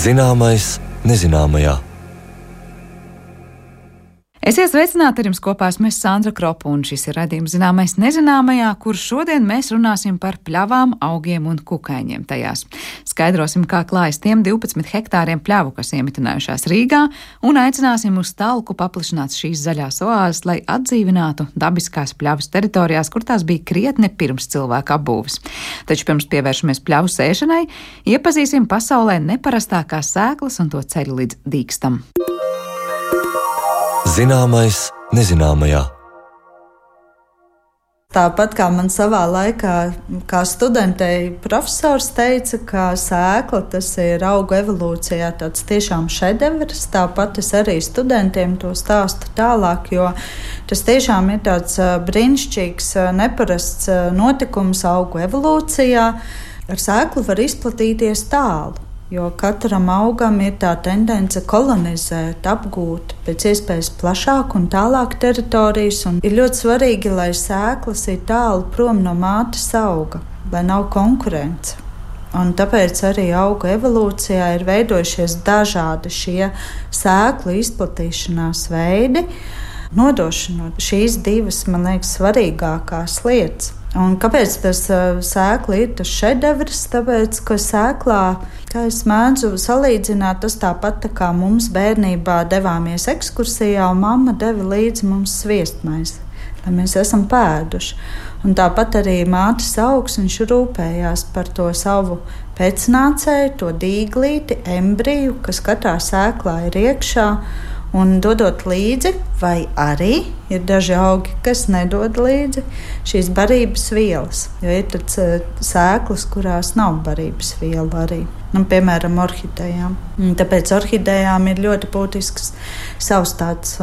Zināmais nezināmajā. Esiet sveicināti, ar jums kopā esmu Sandra Kropa, un šis ir raidījums Zināmais nezināmajā, kur šodien mēs runāsim par pļavām, augiem un kukaiņiem tajās. Skaidrosim, kā klājas tiem 12 hektāriem pļavu, kas iemitinājušās Rīgā, un aicināsim uz talku paplašināt šīs zaļās oāzes, lai atdzīvinātu dabiskās pļavas teritorijās, kur tās bija krietni pirms cilvēka apbūves. Taču pirms pievēršamies pļavu sēšanai, iepazīsim pasaulē neparastākās sēklas un to ceļu līdz dīkstam. Zināmais nezināmajā. Tāpat kā man savā laikā, kā studentei profesors teica, ka sēkla tas ir augu evolūcijā tāds tiešām šedevrs, tāpat es arī studentiem to stāstu tālāk, jo tas tiešām ir tāds brīnišķīgs, neparasts notikums augu evolūcijā. Ar sēklu var izplatīties tālu. Jo katram augam ir tā tendence kolonizēt, apgūt pēc iespējas plašāk un tālāk teritorijas. Un ir ļoti svarīgi, lai sēklas ir tālu prom no mātes auga, lai nav konkurence. Un tāpēc arī augu evolūcijā ir veidojušies dažādi šie sēklu izplatīšanās veidi, nodošanot šīs divas, man liekas, svarīgākās lietas. Un kāpēc tas sēkla ir tas šedevrs? Tāpēc, ka sēklā, kā es mēdzu salīdzināt, tas tāpat tā kā mums bērnībā devāmies ekskursijā, un mamma deva līdzi mums sviestmaizi, lai mēs esam pēduši. Un tāpat arī mātes augs, viņš rūpējās par to savu pēcnācēju, to dīglīti, embriju, kas katrā sēklā ir iekšā, un dodot līdzi, vai arī ir daži augi, kas nedod līdzi šīs barības vielas. Jo ir tāds sēklas, kurās nav barības viela arī. Piemēram, orhidejām. Tāpēc orhidejām ir ļoti būtisks savs tāds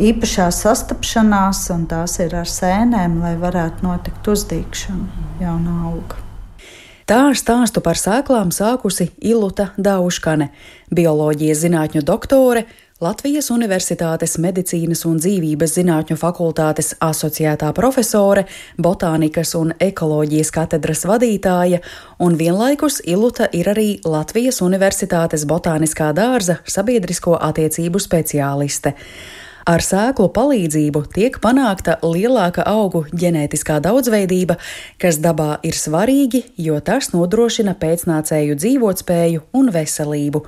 īpašās sastapšanās, un tās ir ar sēnēm, lai varētu notikt uzdīgšana jauna auga. Tā stāstu par sēklām sākusi Iluta Dauškane, bioloģijas zinātņu doktore, Latvijas Universitātes medicīnas un dzīvības zinātņu fakultātes asociētā profesore, botānikas un ekoloģijas katedras vadītāja, un vienlaikus Iluta ir arī Latvijas Universitātes botāniskā dārza sabiedrisko attiecību speciāliste. Ar sēklu palīdzību tiek panākta lielāka augu ģenētiskā daudzveidība, kas dabā ir svarīgi, jo tas nodrošina pēcnācēju dzīvotspēju un veselību.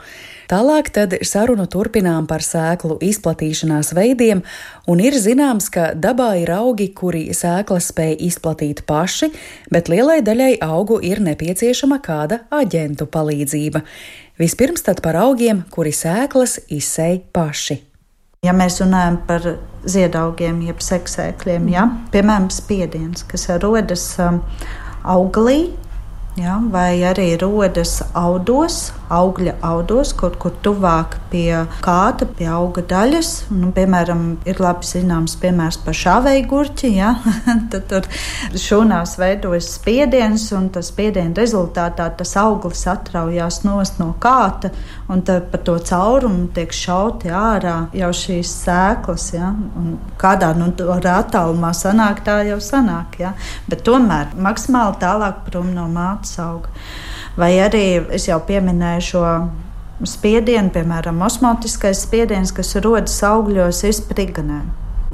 Tālāk tad sarunu turpinām par sēklu izplatīšanās veidiem, un ir zināms, ka dabā ir augi, kuri sēklas spēj izplatīt paši, bet lielai daļai augu ir nepieciešama kāda aģentu palīdzība. Vispirms tad par augiem, kuri sēklas izsēj paši. Ja mēs runājam par ziedaugiem, jeb seksēkļiem, piemēram, spiediens, kas rodas augalī, vai arī rodas audos, augļa audos, kaut kur tuvāk pie kāta, pie auga daļas. Piemēram, ir labi zināms piemērs par šāvēju gurķi, tad tur šūnās veidojas spiediens, un tas spiediena rezultātā tas auglis atraujās nost no kāta, un tad pa to caurumu tiek šauti ārā jau šīs sēklas, un kādā attālumā sanāk, tā jau sanāk, bet tomēr maksimāli tālāk prom no mātes auga. Vai arī es jau pieminēju šo spiedienu, piemēram, osmotiskais spiediens, kas rodas augļos, ir spriganē.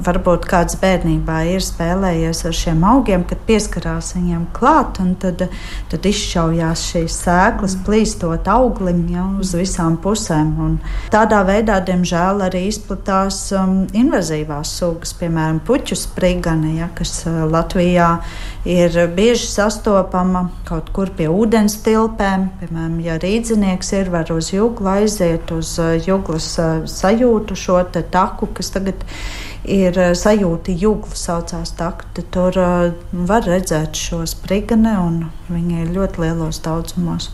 Varbūt kāds bērnībā ir spēlējies ar šiem augiem, kad pieskarās viņiem klāt, un tad izšaujās šīs sēklas, plīstot auglim uz visām pusēm. Un tādā veidā, diemžēl, arī izplatās invazīvās sugas, piemēram, puķu sprigane, kas Latvijā ir bieži sastopama kaut kur pie ūdens tilpēm. Piemēram, ja rīdzinieks var uz juglu aiziet, uz juglas sajūtu šo te taku, kas tagad ir sajūta jugla saucās taku, tad tur var redzēt šo sprigane, un viņi ir ļoti lielos daudzumos.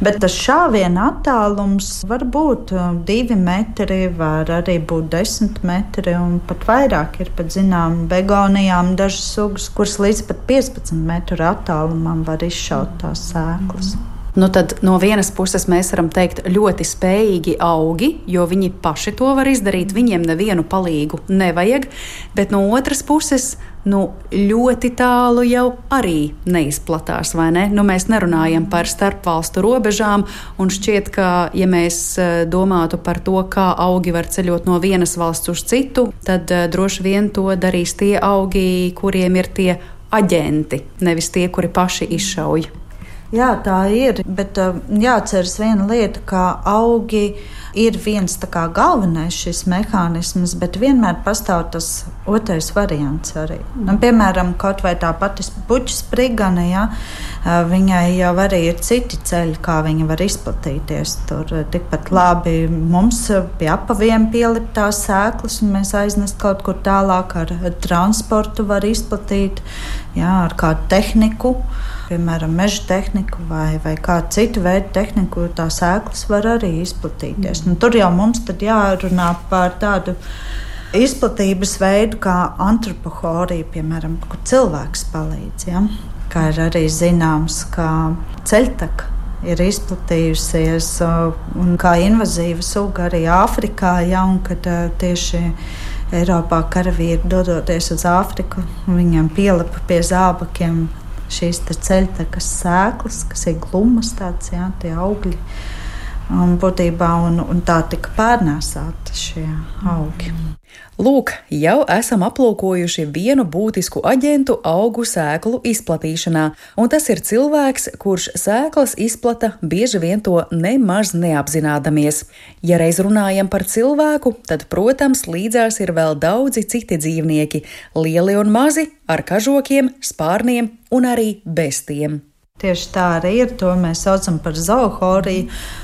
Bet tas šāviena attālums var būt 2 metri, var arī būt 10 metri, un pat vairāk ir pat zinām begonijām dažas sugas, kuras līdz pat 15 metru attālumam var izšaut tās sēklas. Nu tad no vienas puses mēs varam teikt ļoti spējīgi augi, jo viņi paši to var izdarīt, viņiem nevienu palīgu nevajag, bet no otras puses, ļoti tālu jau arī neizplatās, vai ne? Mēs nerunājam par starpvalstu robežām, un šķiet, ka, ja mēs domātu par to, kā augi var ceļot no vienas valsts uz citu, tad droši vien to darīs tie augi, kuriem ir tie aģenti, nevis tie, kuri paši izšauj. Jā, tā ir, bet jāatceras viena lieta, ka augi ir viens tā kā galvenais šis mehānisms, bet vienmēr pastāv tas otrais variants arī. Piemēram, kaut vai tā pati puķu sprigane, viņai jau arī ir citi ceļi, kā viņa var izplatīties. Tur tikpat labi mums pie apaviem pielikt tās sēklas, un mēs aiznest kaut kur tālāk ar transportu var izplatīt, ar kādu tehniku. Piemēram, meža tehniku vai kādu citu veidu tehniku, tā sēklas var arī izplatīties. Tur jau mums tad jārunā par tādu izplatības veidu kā antropohorija, piemēram, kur cilvēks palīdz. Kā ir arī zināms, ka ceļtaka ir izplatījusies un kā invazīva suga arī Āfrikā, un kad tieši Eiropā karavīri dodoties uz Āfriku, viņiem pielipa pie zābakiem šīs ceļtakas sēklas, kas ir glumas tāds, tie augļi. Būtībā, un tā tika pārnēsāti šie augi. Lūk, jau esam aplūkojuši vienu būtisku aģentu augu sēklu izplatīšanā, un tas ir cilvēks, kurš sēklas izplata bieži vien to nemaz neapzinādamies. Ja reiz runājam par cilvēku, tad, protams, līdzās ir vēl daudzi citi dzīvnieki, lieli un mazi, ar kažokiem, spārniem un arī bez tiem. Tieši tā arī ir, to mēs saucam par zoohoriju,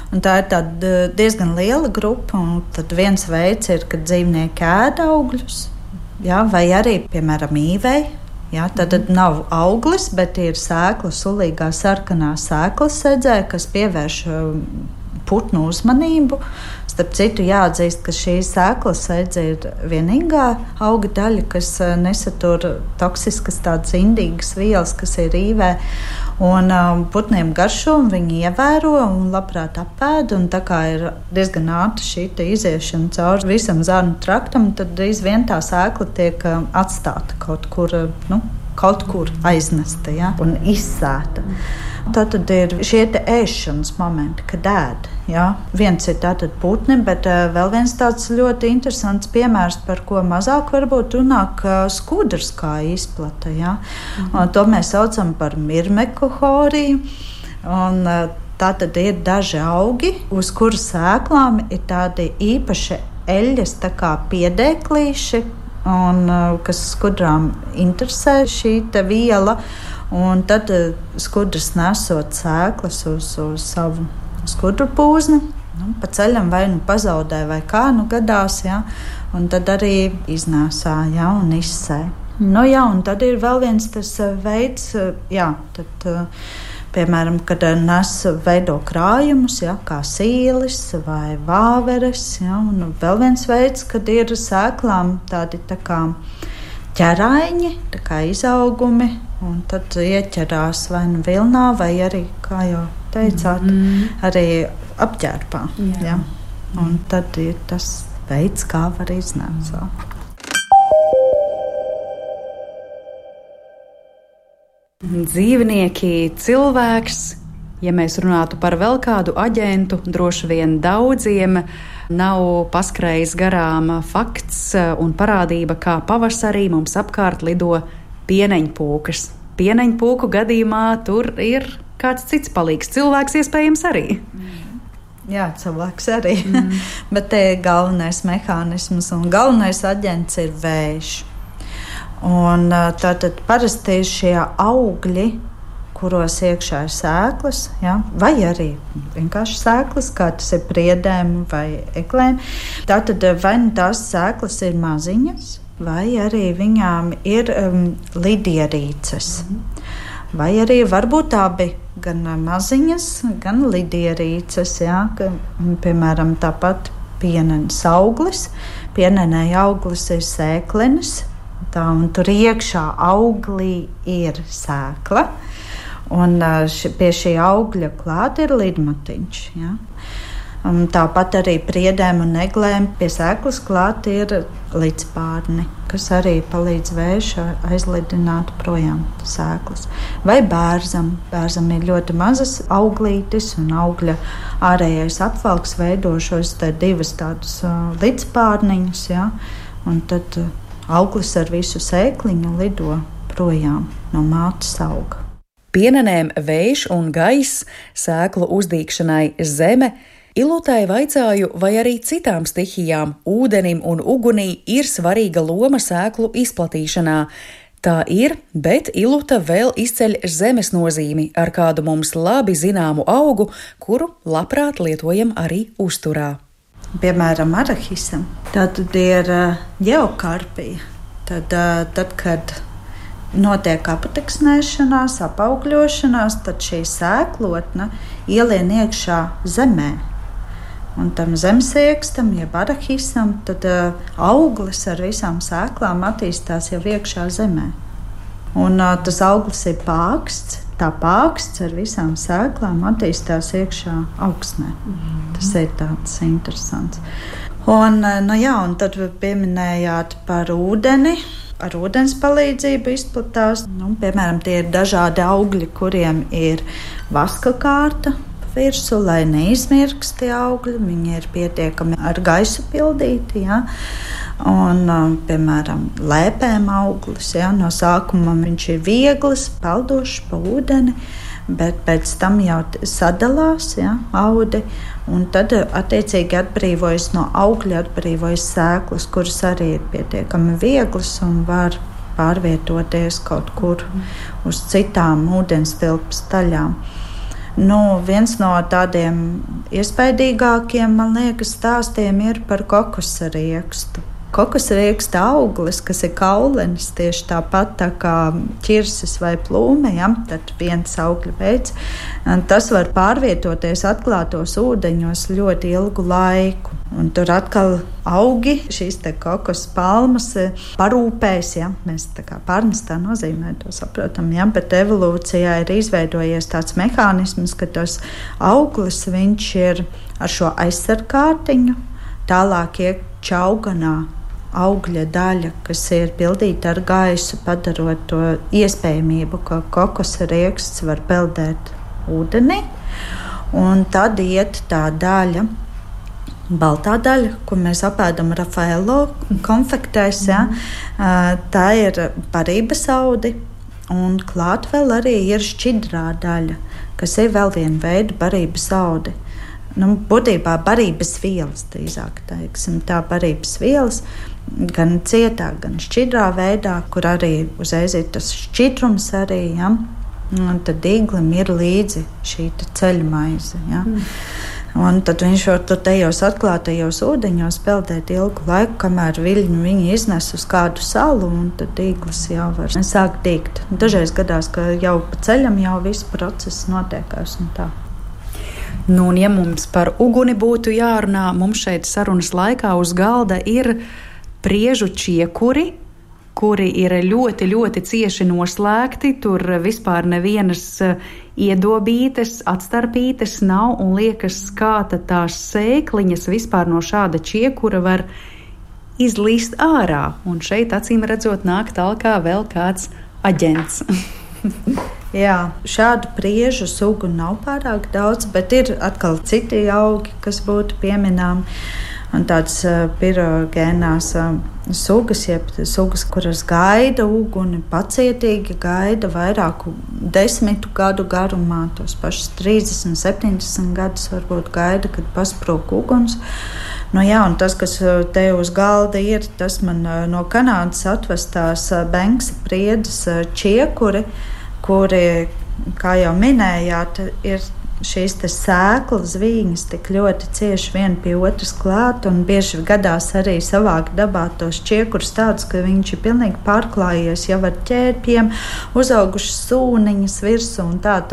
un tā ir tāda diezgan liela grupa, un tad viens veids ir, kad dzīvnieki ēd augļus, vai arī, piemēram, īvei, tad nav auglis, bet ir sēkla, sulīgā sarkanā sēkla sedzē, kas pievērš putnu uzmanību. Starp citu, jāatzīst, ka šī sēkla sedze ir vienīgā auga daļa, kas nesatur toksiskas tādas indīgas vielas, kas ir īvē. Un putniem garšo, un viņi ievēro un labprāt apēd, un tā kā ir diezgan ātra šī iziešana cauri visam zarnu traktam, tad drīz vien tā sēkla tiek atstāta kaut kur aiznesta, un izsēta. Tātad ir šie ēšanas momenti, kad ēd. Viens ir tātad putni, bet vēl viens tāds ļoti interesants piemērs, par ko mazāk varbūt runā, skudrs kā izplata. To mēs saucam par mirmekohoriju. Tātad ir daži augi, uz kuru sēklām ir tādi īpaši eļļas, tā kā piedēklīši, un kas skudrām interesē šī viela. Un tad skudrs nesot sēklas uz savu skudru pūzni, pa ceļam vai pazaudē vai kā gadās, un tad arī iznēsā, un izsē. Un tad ir vēl viens tas veids, piemēram, kad veido krājumus, kā sīlis vai vāveres, un vēl viens veids, kad ir sēklām tādi tā kā ķeraiņi, tā kā izaugumi, un tad ieķerās vai vilnā, vai arī, kā jau teicāt, arī apģērbā. Un tad ir tas veids, kā var iznēsāt. Dzīvnieki, cilvēks, ja mēs runātu par vēl kādu aģentu, droši vien daudziem nav paskrējis garām fakts un parādība, kā pavasarī mums apkārt lido pieneņpūkas. Pieneņpūku gadījumā tur ir kāds cits palīgs. Cilvēks iespējams arī. Jā, cilvēks arī. Bet te galvenais mehānisms un galvenais aģents ir vējš. Un tātad parasti šie augļi, kuros iekšā ir sēklas, vai arī vienkārši sēklas, kā tas ir priedēm vai eglēm. Tātad vai tās sēklas ir maziņas, vai arī viņām ir lidierīces. Vai arī varbūt abi gan maziņas, gan lidierīces, piemēram, tāpat pienenes auglis. Pienenei auglis ir sēklenis, un tur iekšā auglī ir sēkla. Un pie šī augļa klāt ir lidmatiņš. Ja? Tāpat arī priedēm un eglēm pie sēklas klāt ir līdzpārni, kas arī palīdz vēju aizlidināt projām sēklas. Vai bērzam. Bērzam ir ļoti mazas auglītes un augļa ārējais apvalks veido šos divas tādus līdzpārniņus, ja? Un tad auglis ar visu sēkliņu lido projām no mātes auga. Pienenēm vējš un gaiss, sēklu uzdīgšanai zeme. Ilutai vaicāju, vai arī citām stihijām, ūdenim un ugunī ir svarīga loma sēklu izplatīšanā. Tā ir, bet Iluta vēl izceļ zemes nozīmi ar kādu mums labi zināmu augu, kuru labprāt lietojam arī uzturā. Piemēram, arahisam. Tad ir ģeokarpija. Tad, kad notiek apateksnēšanās, apaugļošanās, tad šī sēklotne ielien iekšā zemē. Un tam zemesiekstam, jeb arahisam, tad auglis ar visām sēklām attīstās jau iekšā zemē. Un tas auglis ir pāksts, tā pāksts ar visām sēklām attīstās iekšā augsnē. Tas ir tāds interesants. Un tad pieminējāt par ūdeni. Ar ūdens palīdzību izplatās. Piemēram, tie ir dažādi augļi, kuriem ir vaska kārta virsū, lai neizmirkst tie augļi. Viņi ir pietiekami ar gaisu pildīti. Ja? Un, piemēram, lēpēm auglis. Ja? No sākuma viņš ir viegls, peldošs pa ūdeni, bet pēc tam jau sadalās, ja? Audi. Un tad, attiecīgi, atbrīvojas no augļa, atbrīvojas sēklas, kuras arī ir pietiekami vieglas un var pārvietoties kaut kur uz citām ūdenstilpes daļām. Viens no tādiem iespaidīgākiem, man liekas, stāstiem ir par kokosa riekstu. Kokosa rieksta auglis, kas ir kaulenis, tieši tāpat tā kā ķirsis vai plūme, ja? Tad viens augļa veids. Tas var pārvietoties atklātos ūdeņos ļoti ilgu laiku. Un tur atkal augi, šīs te kokos palmas parūpēs, ja? Mēs tā kā pārnestā nozīmē to saprotam, ja? Bet evolūcijā ir izveidojies tāds mehānisms, ka tas auglis, viņš ir ar šo aizsargkārtiņu, tālāk iek čauganā augļa daļa, kas ir pildīta ar gaisu, padarot to iespējamību, ka kokosa rieksts var peldēt ūdenī. Un tad iet tā daļa, baltā daļa, ko mēs apēdam Rafaelo konfektēs, ja? Tā ir barības audi, un klāt vēl arī ir šķidrā daļa, kas ir vēl viena veida barības audi. Būtībā barības vielas, drīzāk teiksim, tā barības vielas, gan cietā, gan šķidrā veidā, kur arī uzreiz ir tas šķidrums arī, ja? Un tad īglim ir līdzi šī ceļmaize, ja? Un tad viņš var tur tajos atklātajos ūdeņos peldēt ilgu laiku, kamēr viņi iznes uz kādu salu, un tad īglis jau var sākt dīgt. Dažreiz gadās, ka jau pa ceļam jau viss process notiekās un tā. Un ja mums par uguni būtu jārunā, mums šeit sarunas laikā uz galda ir priežu čiekuri, kuri ir ļoti, ļoti cieši noslēgti. Tur vispār nevienas iedobītes, atstarpītes nav, un liekas, kā tās sēkliņas vispār no šāda čiekura var izlīst ārā. Un šeit, acīm redzot, nāk talkā vēl kāds aģents. Jā, šādu priežu sugu nav pārāk daudz, bet ir atkal citi augi, kas būtu pieminām. Un tādas pirogēnās sugas, jeb sugas, kuras gaida uguni, pacietīgi gaida vairāku 10 gadu garumā, tos pašus 30, 70 gadus varbūt gaida, kad pasprūk uguns. Un tas, kas te uz galda ir, tas man no Kanādas atvestās Benksa priedes čiekuri, kuri, kā jau minējāt, ir šīs te sēklas, vīņas tik ļoti cieši viena pie otras klāt, un bieži gadās arī savākt dabā tos čiekurus tādus, ka viņš ir pilnīgi pārklājies jau ar ķērpiem, uzaugušas sūniņas virsū, un tad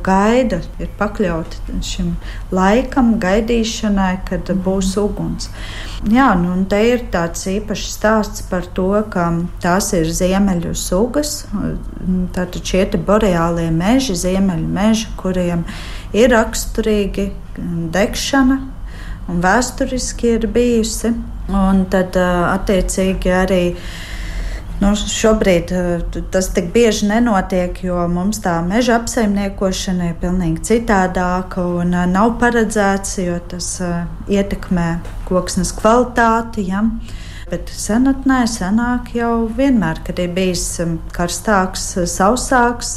gaida ir pakļauti šim laikam, gaidīšanai, kad būs uguns. Jā, un te ir tāds īpašs stāsts par to, ka tās ir ziemeļu sugas, tātad šie te boreālie meži, ziemeļu meži, kuriem ir raksturīgi degšana un vēsturiski ir bijusi. Un tad attiecīgi arī šobrīd tas tik bieži nenotiek, jo mums tā meža apsaimniekošana ir pilnīgi citādāka un nav paredzēts, jo tas ietekmē koksnes kvalitāti. Ja? Bet senāk jau vienmēr, kad ir bijis karstāks, sausāks,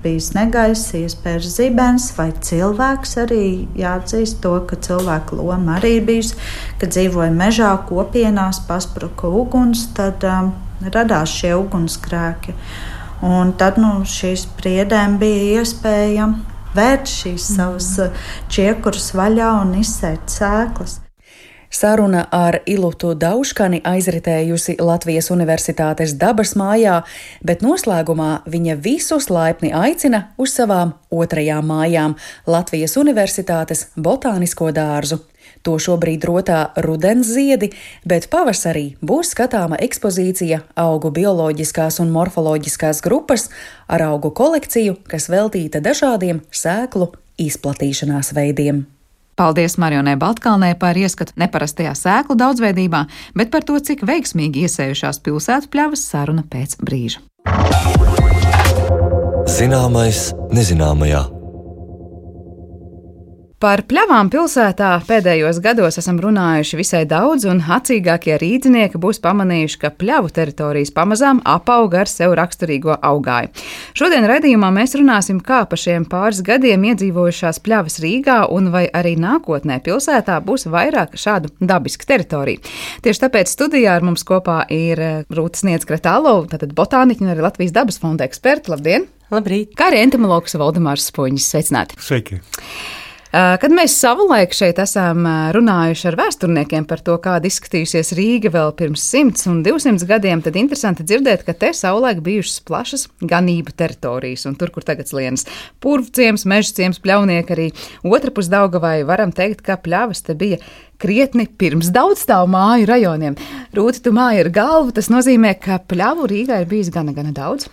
bijis negaiss, iespējas zibens vai cilvēks, arī jāatzīst to, ka cilvēka loma arī ir bijusi, kad dzīvoja mežā, kopienās, paspruka uguns, tad radās šie ugunsgrēki. Un tad šīs priedēm bija iespēja vērt šīs savas čiekurus vaļā un izsēt sēklas. Saruna ar Ilutu Dauškani aizritējusi Latvijas Universitātes dabas mājā, bet noslēgumā viņa visus laipni aicina uz savām otrajām mājām - Latvijas Universitātes botānisko dārzu. To šobrīd rotā rudens ziedi, bet pavasarī būs skatāma ekspozīcija augu bioloģiskās un morfoloģiskās grupas ar augu kolekciju, kas veltīta dažādiem sēklu izplatīšanās veidiem. Paldies Marijonai Baltkalnei par ieskatu neparastajā sēklu daudzveidībā, bet par to, cik veiksmīgi iesējušās pilsētu pļavas, saruna pēc brīža. Zināmais nezināmajā. Par pļavām pilsētā pēdējos gados esam runājuši visai daudz, un acīgākie rīdzinieki būs pamanījuši, ka pļavu teritorijas pamazām apauga ar sev raksturīgo augāju. Šodien raidījumā mēs runāsim, kā pa šiem pāris gadiem iedzīvojušās pļavas Rīgā, un vai arī nākotnē pilsētā būs vairāk šādu dabisku teritoriju. Tieši tāpēc studijā ar mums kopā ir Rūta Sniedz-Kretālova, tātad botāniķa un arī Latvijas dabas fonda eksperta. Labdien! Labrīt! Kā arī entomologs Valdemārs Spoņis. Sveicināti! Sveiki! Kad mēs savulaik šeit esam runājuši ar vēsturniekiem par to, kāda izskatījusies Rīga vēl pirms 100 un 200 gadiem, tad interesanti dzirdēt, ka te savulaik bijušas plašas ganību teritorijas, un tur, kur tagad slienas Purvciems, Mežciems, Pļaunieki, arī otrpus Daugavai, varam teikt, ka pļavas te bija krietni pirms daudzstāvu māju rajoniem. Rūti, tu māji ar galvu, tas nozīmē, ka pļavu Rīgā ir bijis gana daudz.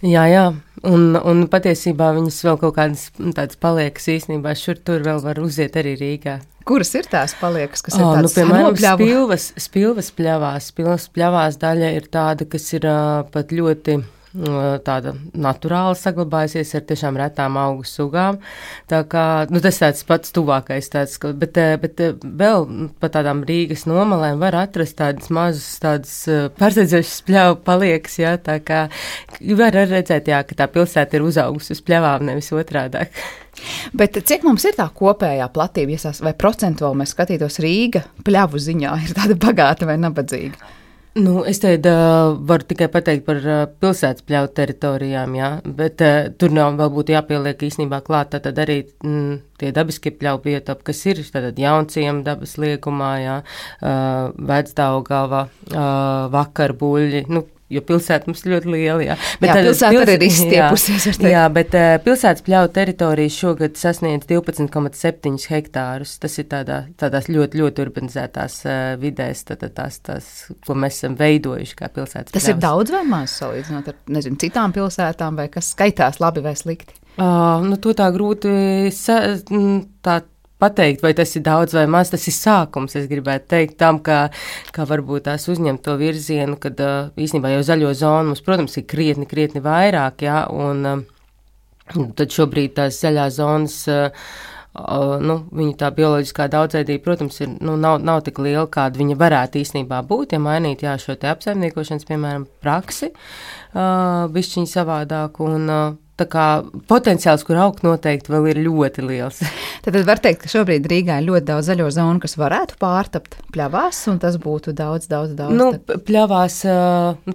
Jā, un patiesībā viņas vēl kaut kādas tādas paliekas īstenībā šur tur vēl var uziet arī Rīgā. Kuras ir tās paliekas, kas ir tādas piemēram, spilvas pļavās. Spilvas pļavās daļa ir tāda, kas ir pat ļoti tāda naturāli saglabājusies ar tiešām retām augu sugām. Tā kā, tas tāds pats tuvākais tāds, bet vēl pa tādām Rīgas nomalēm var atrast tādas mazas, tādas pārsteidzošas pļavu paliekas, jā, tā kā var redzēt, jā, ka tā pilsēta ir uzaugusi uz pļavām, nevis otrādāk. Bet cik mums ir tā kopējā platība, vai procentuāli mēs skatītos Rīga pļavu ziņā, ir tāda bagāta vai nabadzīga? Es te varu tikai pateikt par pilsētas pļauju teritorijām, jā, bet tur vēl būtu jāpieliek īstenībā klāt tātad arī tie dabiskie pļauju biotopi, kas ir tātad Jaunciem dabas liegumā, jā, Vecdaugava, Vakarbuļļi, jo pilsēta mums ļoti liela, jā. Bet pilsēta arī ir izstiepusies. Jā, bet pilsētas pļauju teritorijas šogad sasniedz 12,7 hektārus. Tas ir tādās ļoti, ļoti urbanizētās vidēs, tās, ko mēs esam veidojuši kā pilsētas pļavas. Tas ir daudz vai maz salīdzinot ar, citām pilsētām, vai kas skaitās labi vai slikti? To tā grūti pateikt, vai tas ir daudz vai maz, tas ir sākums, es gribētu teikt, tam, kā varbūt tās uzņemt to virzienu, kad īstenībā jau zaļo zonu mums, protams, ir krietni vairāk, jā, un tad šobrīd tās zaļās zonas, viņa tā bioloģiskā daudzveidība, protams, ir, nav tik liela, kāda viņa varētu īstenībā būt, ja mainīt, jā, šo te apsaimniekošanas, piemēram, praksi, bišķiņi savādāk, un tā kā potenciāls, kur augt noteikti vēl ir ļoti liels. Tad var teikt, ka šobrīd Rīgā ir ļoti daudz zaļo zonu, kas varētu pārtapt pļavās, un tas būtu daudz. Nu, pļavās,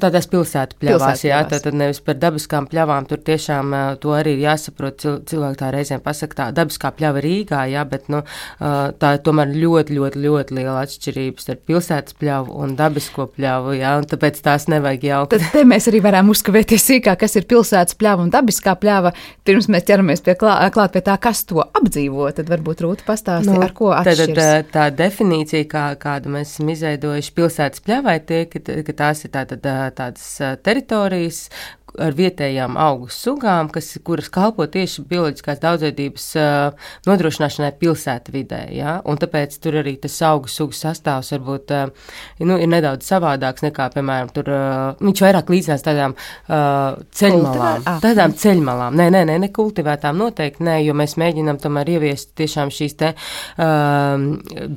tādās pilsētu pļavās, jā, tad nevis par dabiskām pļavām, tur tiešām to arī ir jāsaprot, cilvēki tā reizēm pasaka, tā dabiskā pļava Rīgā, jā, bet, tā ir tomēr ļoti, ļoti, ļoti liela atšķirības starp pilsētas pļavu un dabisko pļavu, jā, un tāpēc tās nevajag jaukt. Tad te mēs arī varam uzskavēties sīkāk, kas ir pilsētas pļava un dabiskā pļava. Pirms mēs ķeramies klāt pie tā, kas to apdzīvo, tad varbūt Rūta pastāsti, ar ko atšķiras. Tā definīcija, kādu mēs esam izveidojuši pilsētas pļavai, ka tās ir tādas teritorijas ar vietējām augu sugām, kuras kalpo tieši bioloģiskās daudzveidības nodrošināšanai pilsētu vidē, ja? Un tāpēc tur arī tas augu sugu sastāvs varbūt ir nedaudz savādāks nekā, piemēram, tur viņš vairāk līdzinās tādām ceļmalām. Tādām ceļmalām. Ne kultivētām noteikti, ne, jo mēs mēģinām tomēr ieviest tiešām šīs te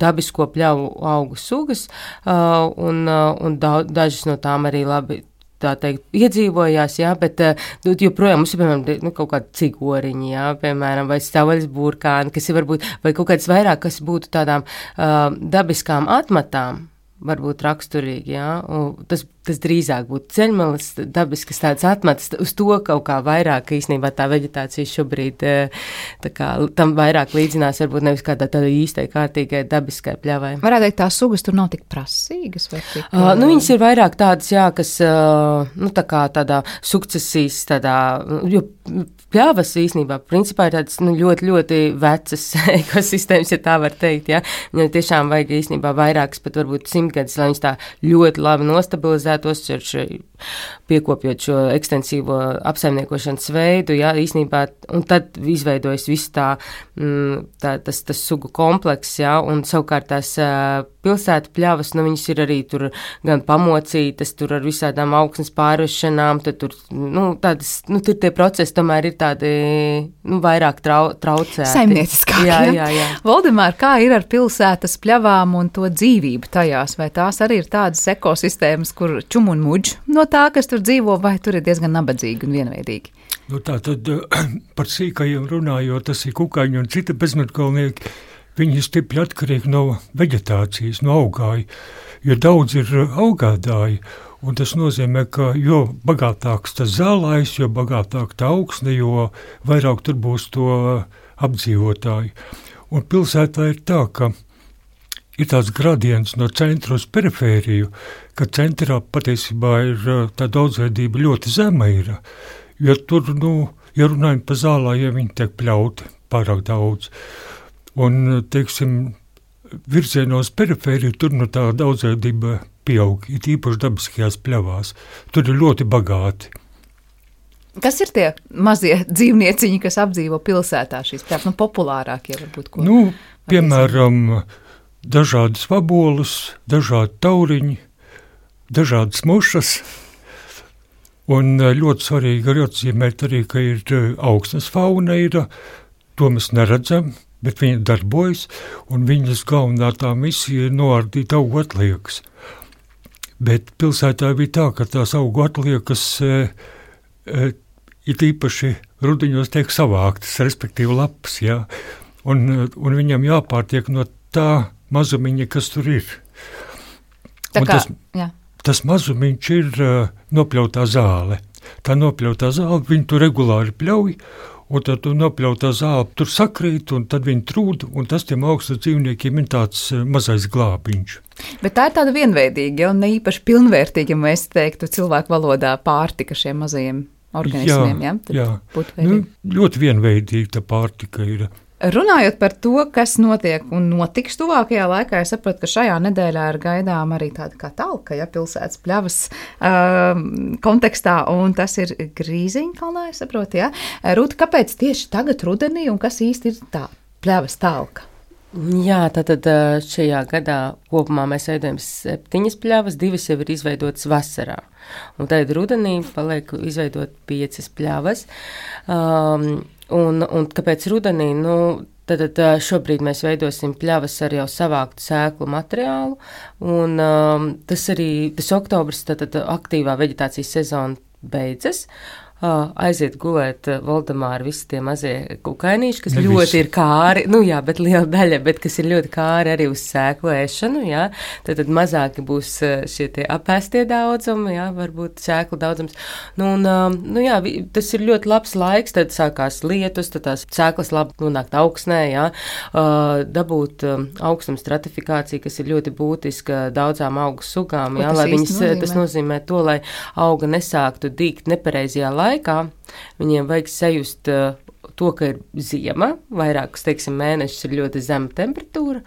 dabisko pļavu augu sugas, un dažas no tām arī labi tā teikt, iedzīvojās, jā, bet joprojām mums ir, piemēram, kaut kādi cigoriņi, jā, piemēram, vai stavaļas burkāni, kas ir varbūt, vai kaut kāds vairāk, kas būtu tādām dabiskām atmatām, varbūt raksturīgi, jā, un tas drīzāk būtu ceļmalas, dabiskas tādas atmatas, uz to kaut kā vairāk, īstenībā tā veģetācija šobrīd tā kā tam vairāk līdzinās, varbūt nevis kādā tāda īstai, kārtīgai, dabiskai pļavai. Varētu teikt, tās sugas tur nav tik prasīgas, vai tik? Viņas ir vairāk tādas, jā, kas, tā kā tādā sukcesijas, jo pļavas īstenībā, principā ir tādas, ļoti, ļoti vecas ekosistēmas, ja tā var teikt, jā. Viņam tiešām vajag īstenībā vairākas, pat varbūt 100 gadus, lai viņas tā ļoti labi nostabilizētu, piekopjot šo ekstensīvo apsaimniekošanas veidu, jā, īstenībā, un tad izveidojas viss tas sugu komplekss, jā, un savukārt tās pilsētu pļavas, viņas ir arī tur gan pamocītas, tur ar visādām augsnes pārvešanām, tad tur, tur tie procesi tomēr ir tādi, vairāk traucēti. Saimnieciskāk, jā. Voldemār, kā ir ar pilsētas pļavām un to dzīvību tajās? Vai tās arī ir tādas ekosistēmas, kur čum un muģ no tā, kas tur dzīvo, vai tur ir diezgan nabadzīgi un vienveidīgi? Tā tad par sīkajiem runājot, tas ir kukaiņi un citi bezmetkalnieki, viņi ir stipri atkarīgi no veģetācijas, no augāju, jo daudz ir augādāji, un tas nozīmē, ka jo bagātāks tas zālājs, jo bagātāk tā augsne, jo vairāk tur būs to apdzīvotāju. Un pilsētā ir tā, ka ir tāds gradients no centra uz perifēriju, ka centrā patiesībā ir tā daudzveidība ļoti zema ir, jo tur, ja runājam par zālājiem, viņi tiek pļauti pārāk daudz. Un, teiksim, virzienos perifēriju, tur tā daudzveidība pieaug, it īpaši dabiskajās pļavās. Tur ir ļoti bagāti. Kas ir tie mazie dzīvnieciņi, kas apdzīvo pilsētā šīs pļavas? Populārākie varbūt, ko? Piemēram, dažādas vabolas, dažādi tauriņi, dažādas mušas. Un ļoti svarīgi arī atzīmēt arī, ka ir augsnes fauna, to mēs neredzam, bet viņi darbojas, un viņas galvenā tā misija ir noardīt augu atliekas. Bet pilsētā bija tā, ka tās augu atliekas it īpaši rudiņos tiek savāktas, respektīvi lapas, jā, un viņam jāpārtiek no tā mazumiņa, kas tur ir. Tas mazumiņš ir nopļautā zāle. Tā nopļautā zāle, viņi tur regulāri pļauj, un tad tu nopļautā zāle tur sakrīt, un tad viņi trūd, un tas tiem augstu dzīvniekiem ir tāds mazais glābiņš. Bet tā ir tāda vienveidīga, un ne īpaši pilnvērtīga, ja mēs teiktu cilvēku valodā pārtika šiem mazajiem organismiem. Jā. Ļoti vienveidīga tā pārtika ir. Runājot par to, kas notiek un notiks tuvākajā laikā, es saprotu, ka šajā nedēļā ir gaidām arī tāda kā talka, pilsētas pļavas kontekstā, un tas ir Grīziņkalnā, es saprotu, jā. Rūta, kāpēc tieši tagad rudenī, un kas īsti ir tā pļavas talka? Jā, tātad šajā gadā kopumā mēs veidojam 7 pļavas, 2 jau ir izveidotas vasarā. Un tad rudenī paliek izveidot 5 pļavas. Un kāpēc rudenī? Tad šobrīd mēs veidosim pļavas ar jau savāktu sēklu materiālu, un tas oktobrs, tad aktīvā veģetācijas sezona beidzas, aiziet gulēt Voldemāra visi tie mazie kukainīši, kas ļoti ir kāri, bet liela daļa, bet kas ir ļoti kāri arī uz sēklu ēšanu, jā, tad mazāki būs šie tie apēstie daudzumi, jā, varbūt sēklu daudzums. Tas ir ļoti labs laiks, tad sākās lietus, tad tās sēklas labi nonākt augsnē, jā, dabūt augstuma stratifikāciju, kas ir ļoti būtiska daudzām augu sugām, jā, lai tas nozīmē to, lai auga nesāktu dīgt nepareizajā laikā, viņiem vajag sajust to, ka ir ziema, vairākus, mēnešus ir ļoti zema temperatūra,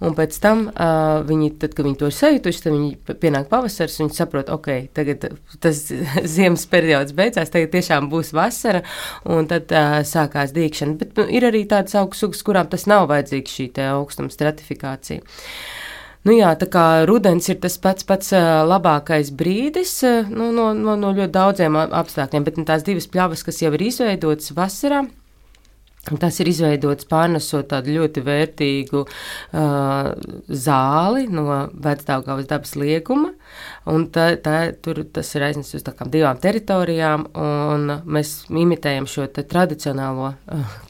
un pēc tam tad, kad viņi to ir sajutuši, tad viņi pienāk pavasars, viņi saprot, tagad tas ziemas periods beidzās, tagad tiešām būs vasara, un tad sākās dīkšana. Bet ir arī tādas augu sugas, kurām tas nav vajadzīgs šī te augstuma stratifikācija. Tā kā rudens ir tas pats labākais brīdis no ļoti daudziem apstākļiem, bet tās divas pļavas, kas jau ir izveidotas vasarā, tas ir izveidots pārnesot tādu ļoti vērtīgu zāli no Vecdaugavas dabas lieguma, un tas ir aiznests uz divām teritorijām, un mēs imitējam šo tradicionālo,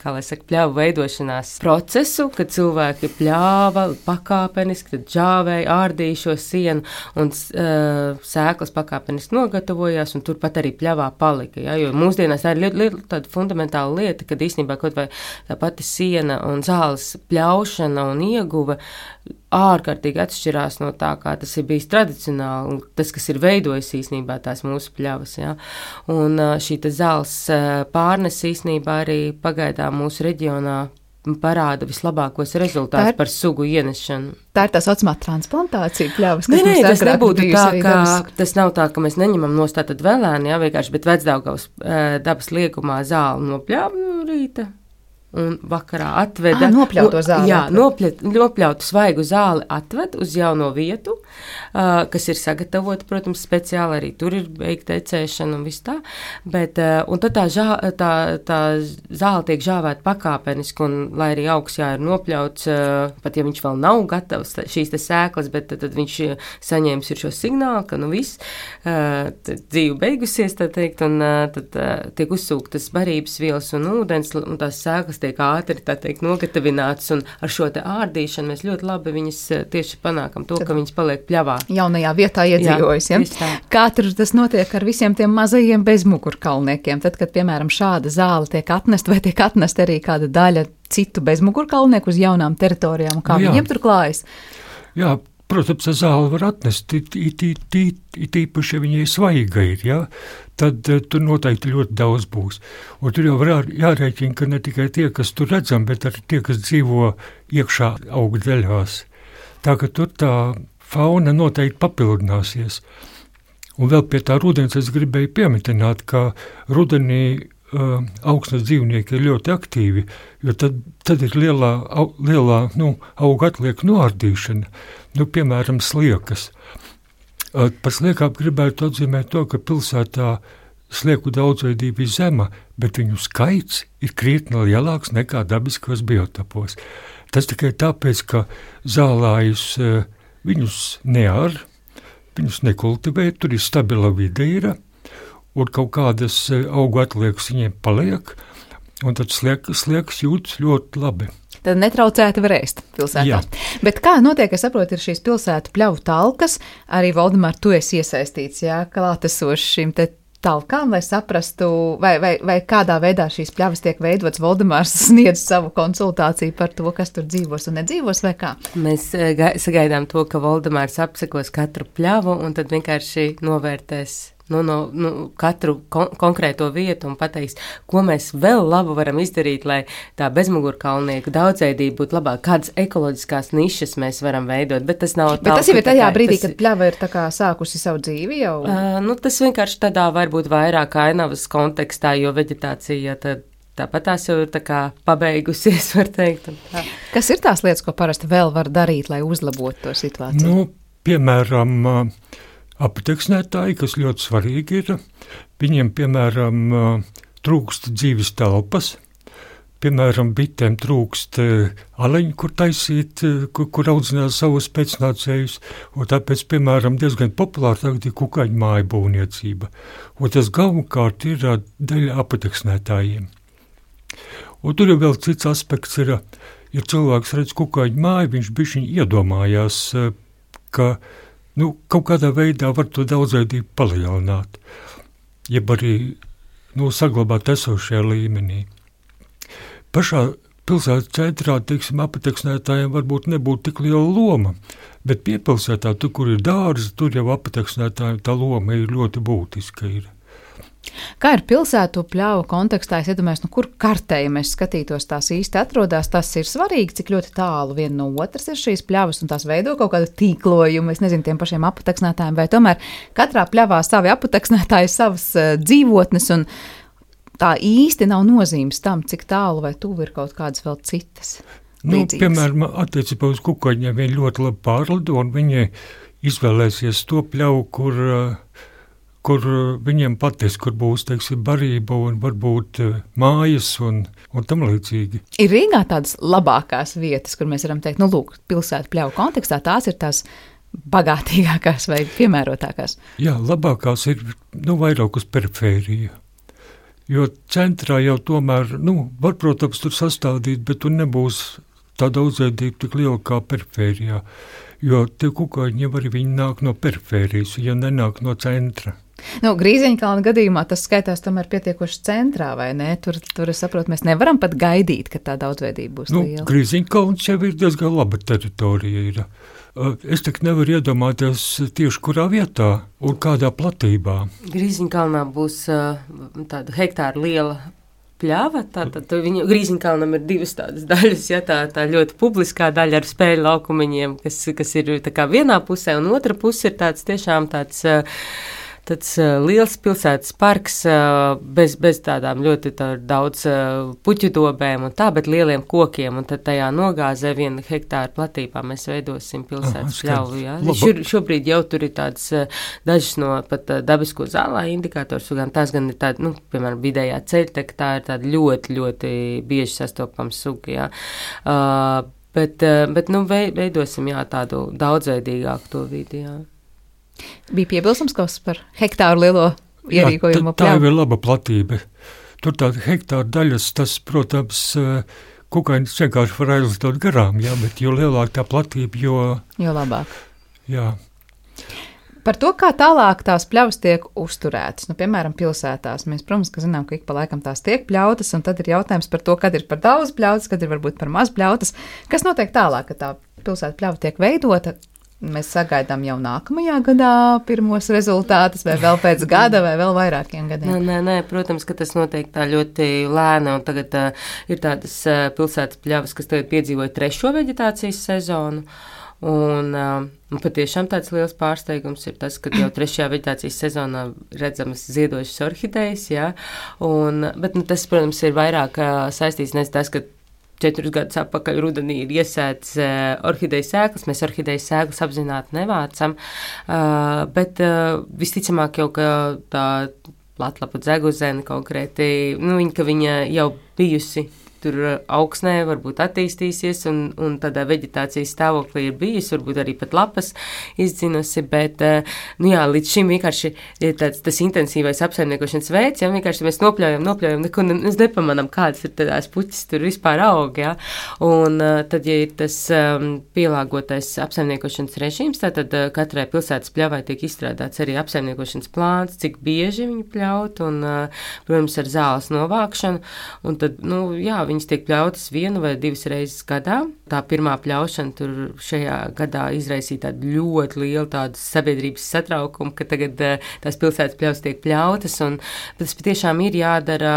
pļavu veidošanās procesu, kad cilvēki pļāva pakāpeniski, tad džāvēja, ārdīja šo sienu, un sēklas pakāpeniski nogatavojās, un turpat arī pļavā palika, ja, jo mūsdienās tā ir tāda fundamentāla lieta, kad īstenībā kaut vai tā pati siena un zāles pļaušana un ieguva ārkārtīgi atšķirās no tā, kā tas ir bijis tradicionāli, un tas, kas ir veidojis īstenībā tās mūsu pļavas, jā. Un šī zāles pārnes īstenībā arī pagaidām mūsu reģionā parāda vislabākos rezultātus par sugu ienešanu. Tā ir tā saucamā transplantācija pļavas, kas Nē, mums tas nebūtu tā, ka tas nav tā, ka mēs neņemam nost tātad vēlēni, jā, vienkārši, bet Vecdaugavas dabas liegumā zāli no pļavu rīta. Un vakarā atveda nopļauto zāli. Jā, nopļautu svaigu zāli atved uz jauno vietu, kas ir sagatavota, protams, speciāli, arī tur ir beigta ecēšana un viss tā, bet, un tad tā zāle tiek žāvēta pakāpeniski, un lai arī augs ir nopļauts, pat ja viņš vēl nav gatavs, šīs te sēklas, bet tad viņš saņēmis ir šo signālu, ka viss, dzīve beigusies, tā teikt, un tad tiek uzsūktas barības vielas un ūdens, un tās sēklas tiek ātri, tā teikt, nogatavināts, un ar šo te ārdīšanu mēs ļoti labi viņas tieši panākam to, ka viņas paliek pļavā. Jaunajā vietā iedzīvojas, ja? Kā tur tas notiek ar visiem tiem mazajiem bezmugurkalniekiem? Tad, kad, piemēram, šāda zāle tiek atnest, vai tiek atnest arī kāda daļa citu bezmugurkalnieku uz jaunām teritorijām, un kā viņiem tur klājas? Jā, protams, zāle var atnest, it īpaši, ja viņai svaiga ir, ja? Tad tur noteikti ļoti daudz būs. Un tur jau var jārēķina, ka ne tikai tie, kas tur redzam, bet arī tie, kas dzīvo iekšā augu daļās. Tā ka tur tā fauna noteikti papildināsies. Un vēl pie tā rudens es gribēju pieminēt, ka rudenī augsnes dzīvnieki ir ļoti aktīvi, jo tad ir lielā auga atliek noārdīšana, piemēram, sliekas. Par sliekām gribētu atzīmēt to, ka pilsētā slieku daudzveidība ir zema, bet viņu skaits ir krietni lielāks nekā dabiskos biotopos. Tas tikai tāpēc, ka zālājus viņus neār, viņus nekultivē, tur ir stabila vide ir, un kaut kādas augu atliekas viņiem paliek, un tad sliekas jūtas ļoti labi. Tad netraucēti var ēst pilsētā. Jā. Bet kā notiek, es saprotu, ir šīs pilsētu pļavu talkas, arī Voldemār, tu esi iesaistīts, jā, klātesoši šīm te talkām, lai saprastu, vai kādā veidā šīs pļavas tiek veidotas. Voldemārs sniedz savu konsultāciju par to, kas tur dzīvos un nedzīvos, vai kā? Mēs sagaidām to, ka Voldemārs apsekos katru pļavu un tad vienkārši novērtēs katru konkrēto vietu un pateiks, ko mēs vēl labu varam izdarīt, lai tā bezmugurkalnieku daudzveidība būtu labāk, kādas ekoloģiskās nišas mēs varam veidot, bet tas nav tā. Bet tas jau ir tajā brīdī, kad pļava ir tā kā sākusi savu dzīvi jau? Tas vienkārši tādā varbūt vairāk ainavas kontekstā, jo veģetācija tāpat tās jau ir tā kā pabeigusies, var teikt. Kas ir tās lietas, ko parasti vēl var darīt, lai uzlabotu to situāciju? Piemēram, apteksnētāji, kas ļoti svarīgi ir, viņiem, piemēram, trūkst dzīves telpas, piemēram, bitēm trūkst aleņu, kur taisīt, kur audzināt savus pēcnācējus, un tāpēc, piemēram, diezgan populāri tagad ir kukaiņu māju būvniecība. Un tas galvenokārt ir daļa apateksnētājiem. Un tur jau vēl cits aspekts ir, ja cilvēks redz kukaiņu māju, viņš bišķiņ iedomājās, ka kaut kādā veidā var to daudzveidību palielināt, jeb arī saglabāt esošajā līmenī. Pašā pilsētas centrā, teiksim, apateksnētājiem varbūt nebūtu tik liela loma, bet piepilsētā, tur, kur ir dārzi, tur jau apateksnētājiem tā loma ir ļoti būtiska. Kā ir pilsētu pļauju kontekstā? Es iedomājos, kur kartē, ja mēs skatītos, tās īsti atrodas, tas ir svarīgi, cik ļoti tālu viena no otras ir šīs pļavas un tās veido kaut kādu tīklojumu, es nezinu, tiem pašiem apateksnētājiem, vai tomēr katrā pļavā savi apateksnētāji, savas dzīvotnes, un tā īsti nav nozīmes tam, cik tālu vai tuvu ir kaut kādas vēl citas līdzīgas. Piemēram, attiecībā uz kukaiņiem viņi ļoti labi pārlido, un viņi izvēlēsies to pļauju, kur viņiem pateiks, kur būs, teiksim, barība un varbūt mājas un tam līdzīgi. Ir Rīgā tādas labākās vietas, kur mēs varam teikt, lūk, pilsētu pļauju kontekstā tās ir tās bagātīgākās vai piemērotākās? Jā, labākās ir, vairāk uz perifēriju. Jo centrā jau tomēr, var, protams, tur sastādīt, bet tur nebūs tā daudzveidība tik liela kā perifērijā. Jo tie kukaiņi jau arī viņi nāk no perifērijas, ja nenāk no centra. Grīziņkalna gadījumā tas skaitās tomēr pietiekoši centrā, vai ne? Tur es saprotu, mēs nevaram pat gaidīt, ka tā daudzveidība būs liela. Grīziņkalns jau ir diezgan laba teritorija. Es tik nevaru iedomāties tieši kurā vietā un kādā platībā. Grīziņkalnā būs tāda hektāra liela pļava, tātad Grīziņkalnam ir divas tādas daļas, tā ļoti publiskā daļa ar spēļu laukumiņiem, kas ir tā kā vienā pusē, un otra puse ir tiešām tāds liels pilsētas parks bez tādām ļoti daudz puķu dobēm un tā, bet lieliem kokiem, un tad tajā nogāzē 1 hektāra platībā mēs veidosim pilsētas pļauju. Ja? Šobrīd jau tur ir tādas dažas no pat dabisko zālā indikators, gan tās gan ir tāda, piemēram, vidējā ceļteka, tā ir tāda ļoti, ļoti bieži sastopama suga, ja? Bet veidosim, tādu daudzveidīgāku to vidi, jā. Bija piebilstams kaut kas par hektāru lielo ierīkojumu pļauju? Tā jau ir laba platība. Tur tāda hektāra daļas, tas, protams, kukainis vienkārši var aizlistot garām, bet jo lielāk tā platība, jo labāk. Jā. Par to, kā tālāk tās pļavas tiek uzturētas, piemēram, pilsētās. Mēs, protams, ka zinām, ka ik pa laikam tās tiek pļautas, un tad ir jautājums par to, kad ir par daudz pļautas, kad ir varbūt par maz pļautas. Kas notiek tālāk, kad tā pilsēta pļauta tiek veidota? Mēs sagaidām jau nākamajā gadā pirmos rezultātus, vai vēl pēc gada, vai vēl vairākiem gadiem? Nē, protams, ka tas notiek tā ļoti lēni, un tagad ir tādas pilsētas pļavas, kas tagad piedzīvoja 3. veģetācijas sezonu, un patiešām tāds liels pārsteigums ir tas, ka jau 3. veģetācijas sezonā redzamas ziedošas orhidejas, bet tas, protams, ir vairāk saistīts ne tas, ka 4 gadus atpakaļ rudenī ir iesēts orhideju sēklas. Mēs orhideju sēklas apzināti nevācam, bet visticamāk jau, ka tā platlapa dzeguzene konkrēti, viņa jau bijusi tur augsnē, varbūt attīstīsies, un tādā veģetācijas stāvoklī ir bijis, varbūt arī pat lapas izdzinusi, bet, līdz šim vienkārši ir tas intensīvais apsaimniekošanas veids, vienkārši mēs nopļaujam, neko nepamanām, kādas ir tādās puķis tur vispār aug, un tad, ja ir tas pielāgotais apsaimniekošanas režīms, tad katrai pilsētas pļavai tiek izstrādāts arī apsaimniekošanas plāns, cik bieži viņi pļaut, un, protams, ar zāles novākšanu, un tad, viņas tiek pļautas 1 vai 2 reizes gadā. Tā pirmā pļaušana tur šajā gadā izraisīja tādu ļoti lielu tādu sabiedrības satraukumu, ka tagad tās pilsētas pļaus tiek pļautas, un tas patiešām ir jādara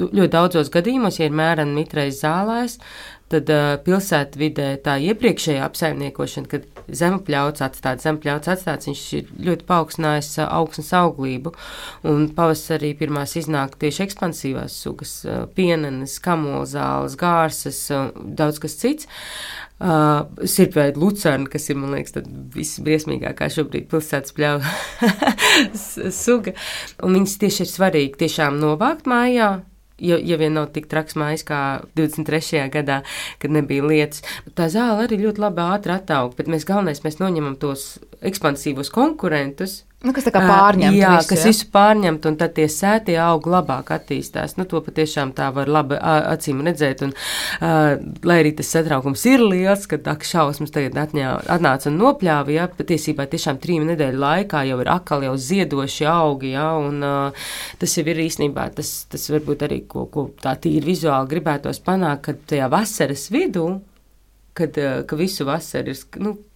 ļoti daudzos gadījumos, ja ir mērena mitrais zālājs, tad pilsētvidē tā iepriekšējā apsaimniekošana, kad zempļauts atstāts, viņš ir ļoti paaugstinājis augsnes auglību, un pavasarī pirmās iznāk tieši ekspansīvās sugas, pienenes, kamolzāles, gārsas, daudz kas cits. Sirpveida lucerna, kas ir, man liekas, visbriesmīgākā šobrīd pilsētas pļauju suga, un viņas tieši ir svarīgi tiešām novākt mājā, ja vien nav tik traks mājas kā 23. gadā, kad nebija lietas. Tā zāle arī ļoti labi ātri attaug, bet mēs noņemam tos ekspansīvos konkurentus. Kas tā kā pārņemt jā, visu, kas visu pārņemt, un tad tie sētie augi labāk attīstās. To patiešām tā var labi acīm redzēt, un lai arī tas satraukums ir liels, kad šausmas tagad atnāca un nopļāva, jā, patiesībā tiešām 3 nedēļu laikā jau ir atkal jau ziedoši augi, jā, un tas jau ir īstenībā, tas varbūt arī, ko tā tīri vizuāli gribētos panākt, kad tajā vasaras vidū, ka visu vasaru ir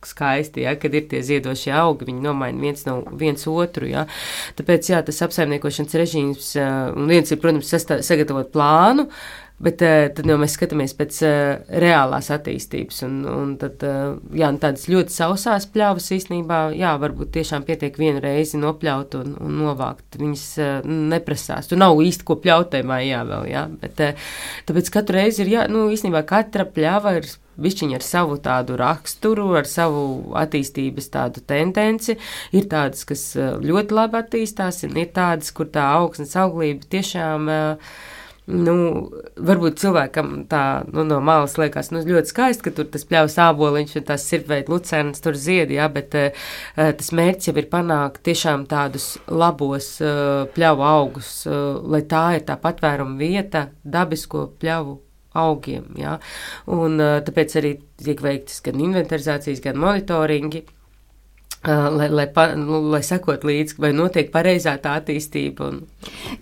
skaisti, ja, kad ir tie ziedošie augi, viņi nomaina viens otru. Ja. Tāpēc jā, tas apsaimniekošanas režīms, un viens ir, protams, sagatavot plānu, bet tad jau mēs skatāmies pēc reālās attīstības. Un tad jā, tādas ļoti sausās pļavas īstenībā, jā, varbūt tiešām pietiek vienu reizi nopļaut un novākt. Viņas neprasās. Tur nav īsti ko pļautē mājā vēl, jā. Bet tāpēc katru reizi ir, jā, īstenībā katra pļava ir višķiņi ar savu tādu raksturu, ar savu attīstības tādu tendenci. Ir tādas, kas ļoti labi attīstās, un ir tādas, kur tā augsnes auglība tiešām, varbūt cilvēkam tā, no malas liekas, ļoti skaisti, ka tur tas pļavas āboliņš un tās sirpveida lucernas tur ziedi, jā, bet tas mērķis jau ir panākt tiešām tādus labos pļavu augus, lai tā ir tā patvēruma vieta dabisko pļavu augiem, jā. Un tāpēc arī tiek veiktas gan inventarizācijas, gan monitoringi, lai sekot līdzi, vai notiek pareizā tā attīstība.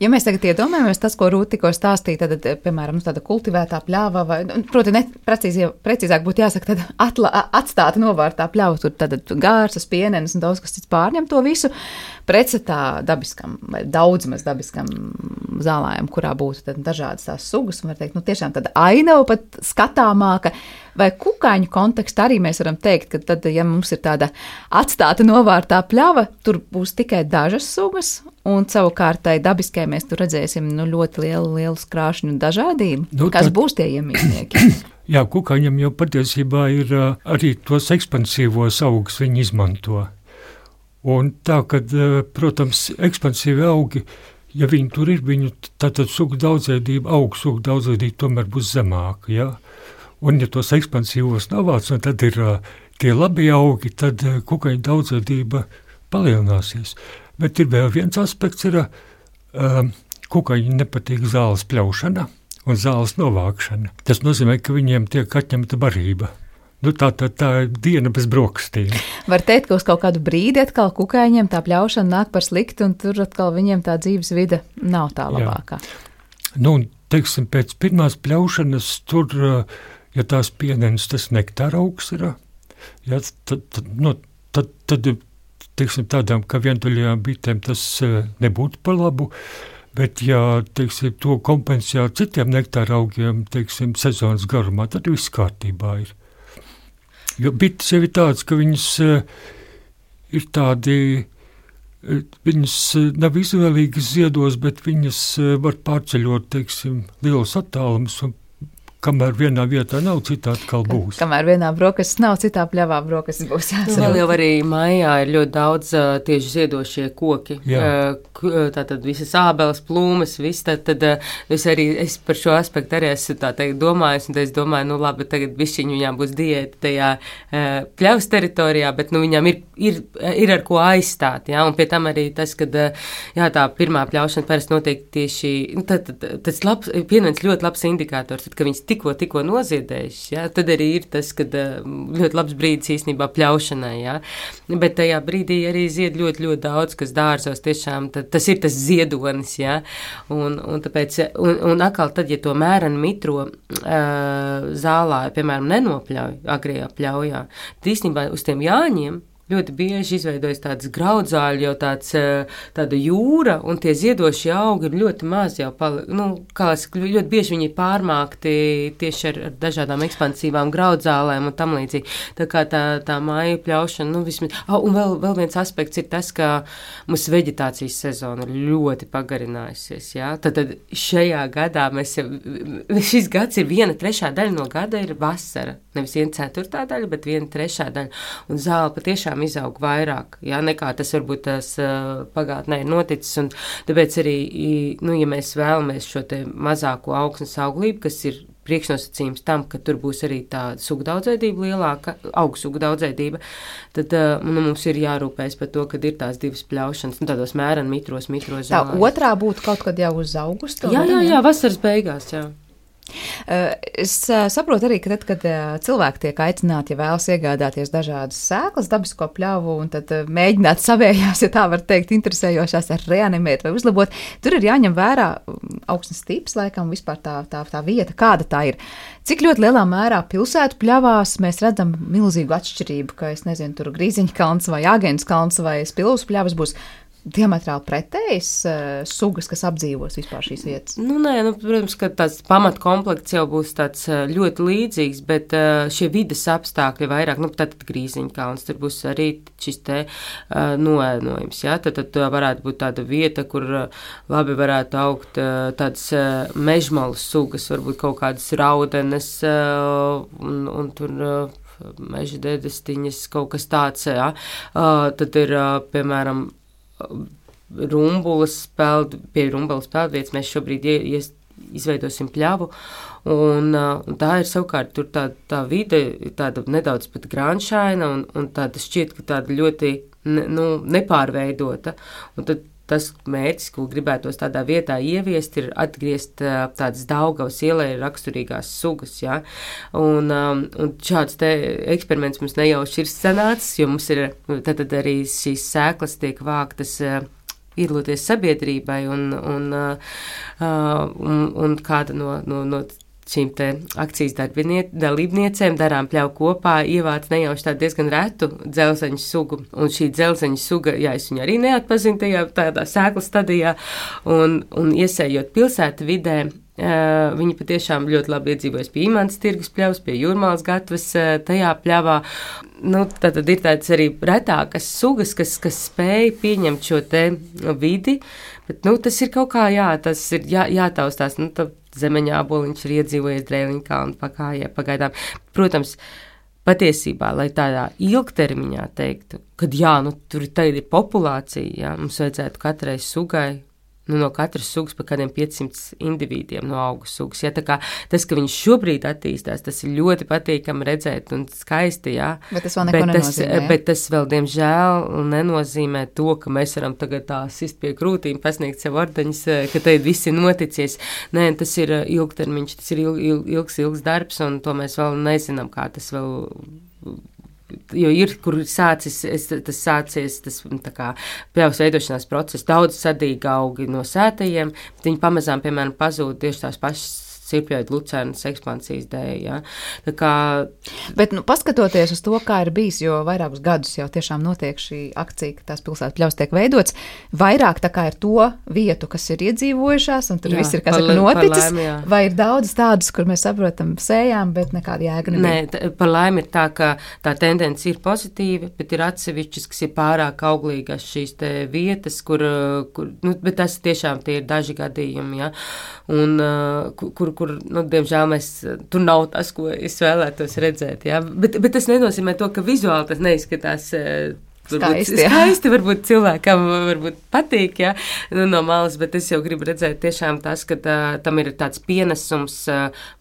Ja mēs tagad iedomājamies tas, ko Rūta tikko stāstīja, tad, piemēram, tāda kultivētā pļava, vai, proti, precīzāk būtu jāsaka, tad atstāta novārtā pļava, tur tad gārsas, pienenes un daudz kas cits pārņem to visu, pretstatā dabiskam vai daudz maz dabiskam zālājam, kurā būtu tad dažādas tās sugas, un var teikt, tiešām tāda ainava pat skatāmāka, vai kukaiņu kontekstā arī mēs varam teikt, ka tad, ja mums ir tāda atstāta novārtā pļava, tur būs tikai dažas sugas, un savukārtai dabiskai mēs tur redzēsim ļoti lielu krāšņu dažādību. Kas būs tie iemīļnieki? Jā, kukaiņam jau patiesībā ir arī tos ekspansīvos augus viņi izmanto. Un tā, kad, protams, ekspansīvi augi, ja viņi tur ir, viņu tātad sugu daudzveidība, augu sugu daudzveidība tomēr būs zemāka, jā. Un ja tos ekspansīvos navāc, un tad ir tie labi augi, tad kukaiņu daudzveidība palielināsies. Bet ir vēl viens aspekts, ir kukaiņi nepatīk zāles pļaušana un zāles novākšana. Tas nozīmē, ka viņiem tiek atņemta barība. Tā ir diena bez brokastīm. Var teikt, ka uz kaut kādu brīdi atkal kukaiņiem tā pļaušana nāk par sliktu, un tur atkal viņiem tā dzīves vide nav tā labākā. Jā. Teiksim, pēc pirmās pļaušanas tur, ja tās pienenes, tas nektāra augs ir, ja, tad teiksim, tādām, ka vientuļajām bitēm tas nebūtu par labu, bet, ja, teiksim, to kompensē ar citiem nektāra augiem, teiksim, sezonas garumā, tad viss kārtībā ir. Jo bites jau ir tādas, ka viņas ir tādi, viņas nav izvēlīgas ziedos, bet viņas var pārceļot, teiksim, lielus attālumus, un kamēr vienā vietā nav, citā atkal būs. Kamēr vienā brokastis nav, citā pļavā brokastis būs jāsaka. Vēl jau arī mājā ir ļoti daudz tieši ziedošie koki. Tātad visas ābeles, plūmes, viss. Tad es par šo aspektu arī esmu tā teikt domājis, un es domāju, labi, tagad višķiņu viņām būs diēta tajā pļavas teritorijā, bet viņām ir ar ko aizstāt, jā, un pie tam arī tas, kad, jā, tā pirmā pļaušana parasti notiek tieši, tas pienens ļoti labs indikators, tad, ka viņas tikko noziedējušas, jā, tad arī ir tas, kad ļoti labs brīdis īstenībā pļaušanai, jā, bet tajā brīdī arī zied ļoti, ļoti daudz, kas dārzos tiešām, tas ir tas ziedonis, jā, un tāpēc, un atkal tad, ja to mēran mitro zālā, piemēram, nenopļauj agrijā pļaujā, tad īstenībā uz tiem jāņiem ļoti bieži izveidojas tādas graudzāļi, jau tāda jūra, un tie ziedošie augi ir ļoti maz jau, ļoti bieži viņi ir pārmākti tieši ar dažādām ekspansīvām graudzālēm un tam līdzīgi. Tā kā tā māju pļaušana, vismaz. Un vēl viens aspekts ir tas, ka mums veģetācijas sezona ir ļoti pagarinājusies, jā. Tad šajā gadā šis gads ir 1/3 daļa no gada ir vasara. Nevis 1/4 daļa, bet 1/3 daļa. Un zāle patiešām tiešām izaug vairāk, jā, nekā tas varbūt tas pagātnē ir noticis, un tāpēc arī, nu, ja mēs vēlamies šo te mazāko augsnes auglību, kas ir priekšnosacījums tam, ka tur būs arī tā sugu daudzveidība lielāka, augu sugu daudzveidība, tad nu, mums ir jārūpējas par to, kad ir tās divas pļaušanas, nu, tādos mēreni mitros. Tā otrā būtu kaut kad jau uz augustu? Jā, vasaras beigās, jā. Es saprotu arī, ka tad, kad cilvēki tiek aicināti, ja vēlas iegādāties dažādas sēklas, dabisko pļavu un tad mēģināt savējās, ja tā var teikt, interesējošās ar reanimēt vai uzlabot, tur ir jāņem vērā augsnes tips, laikam, vispār tā vieta, kāda tā ir. Cik ļoti lielā mērā pilsētu pļavās mēs redzam milzīgu atšķirību, ka, es nezinu, tur Grīziņa kalns vai Āgēnas kalns vai Spilvas pļavas būs diametrāli pretējas sugas, kas apdzīvos vispār šīs vietas? Nu, nē, protams, ka tāds pamatkomplekts jau būs tāds ļoti līdzīgs, bet šie vides apstākļi vairāk, tātad Grīziņa kalns, tur būs arī šis te noēnojums, jā, tad varētu būt tāda vieta, kur labi varētu augt tādas mežmalu sugas, varbūt kaut kādas raudenes un tur meža dedestiņas, kaut kas tāds, jā. Tad ir, piemēram, pie rumbulas peldvietas mēs šobrīd izveidosim pļavu, un tā ir savukārt tur tā vide, tāda nedaudz pat grānšaina, un tāda šķiet, ka tāda ļoti nepārveidota, un tad tas mērķis, ko gribētos tādā vietā ieviest, ir atgriezt tādas Daugavas ielai raksturīgās sugas, jā. Un šāds te eksperiments mums nejauši ir sanācis, jo mums ir, tad arī šīs sēklas tiek vāktas iedaloties sabiedrībai, un kāda no šīm te akcijas dalībniecēm darām pļauju kopā, ievāc nejauši tādu diezgan retu dzelzeņu sugu. Un šī dzelzeņu suga, jā, es viņu arī neatpazinu tādā sēklas stadijā, un iesējot pilsētu vidē, viņi patiešām ļoti labi iedzīvojas pie Imantas tirgus pļavas, pie Jūrmālas gatavas tajā pļavā. Tad ir tādas arī retākas sugas, kas spēj pieņemt šo te vidi, bet, tas ir kaut kā, jā, tas ir jātaustās, zemeņā aboliņš ir iedzīvojies Drēliņa kalnu pakājē pagaidām. Protams, patiesībā, lai tādā ilgtermiņā teiktu, kad jā, tur tagad ir populācija, jā, mums vajadzētu katrai sugai, no katras sugas pa kādiem 500 individiem no augu sugas. Ja, tā kā tas, ka viņš šobrīd attīstās, tas ir ļoti patīkami redzēt un skaisti, jā. Bet tas vēl neko nenozīmē, jā? Bet tas vēl, diemžēl, nenozīmē to, ka mēs varam tagad tā sist pie krūtīm, pasniegt sev ordeņus, ka te viss ir noticies. Nē, tas ir ilgtermiņš, tas ir ilgs darbs, un to mēs vēl nezinām, kā tas vēl... Jo ir, kur sācies tas tā kā pļavas veidošanās process, daudz sadīgi augi no sētajiem, bet viņi pamazām, piemēram, pazūd tieši tās pašas sirpjoidu lucernas ekspansijas dēļ, jā. Tā kā... Bet, paskatoties uz to, kā ir bijis, jo vairākus gadus jau tiešām notiek šī akcija, ka tās pilsētu pļavas tiek veidots, vairāk tā kā ir to vietu, kas ir iedzīvojušās, un tur viss ir, kā saka, noticis, vai ir daudz tādus, kur mēs saprotam, sējām, bet nekāda jēga nebija? Nē, par laimi ir tā, ka tā tendence ir pozitīva, bet ir atsevišķas, kas ir pārāk auglīgas šīs te vietas, kur bet tas tiešām tie ir daži gadījumi, jā, un kur diemžēl tur nav tas, ko es vēlētos redzēt, jā, bet tas nenozīmē to, ka vizuāli tas neizskatās skaisti, varbūt cilvēkam varbūt patīk, jā, no malas, bet es jau gribu redzēt tiešām tas, ka tam ir tāds pienesums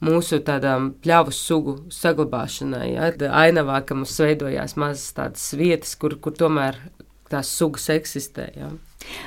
mūsu tādām pļavu sugu saglabāšanai, jā, ainavā, ka mums veidojās mazas tādas vietas, kur tomēr tās sugas eksistē, jā.